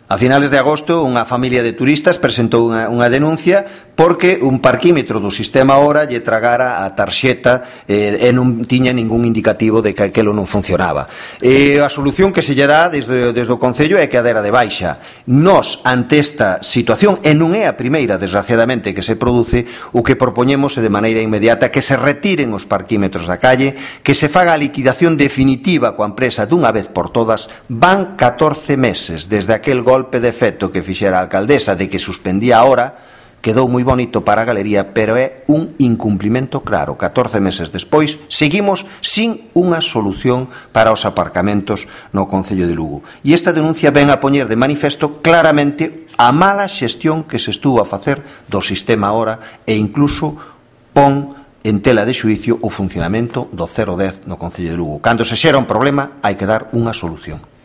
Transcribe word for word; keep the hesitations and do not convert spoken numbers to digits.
A finales de agosto, unha familia de turistas presentou unha, unha denuncia porque un parquímetro do sistema Hora lle tragara a tarxeta eh, e non tiña ningún indicativo de que aquilo non funcionaba. E a solución que se lle dá desde, desde o Concello é que a dera de baixa. Nos, ante esta situación, e non é a primeira, desgraciadamente, que se produce, o que propoñemos é de maneira inmediata que se retiren os parquímetros da calle, que se faga a liquidación definitiva coa empresa dunha vez por todas. Van catorce meses desde aquel gol golpe de efecto que fixera a alcaldesa de que suspendía a hora, quedou moi bonito para a galería, pero é un incumplimento claro. catorce meses despois, seguimos sin unha solución para os aparcamentos no Concello de Lugo. E esta denuncia ven a poñer de manifesto claramente a mala xestión que se estuvo a facer do sistema Hora e incluso pon en tela de xuicio o funcionamento do cero dez no Concello de Lugo. Cando se xera un problema, hai que dar unha solución.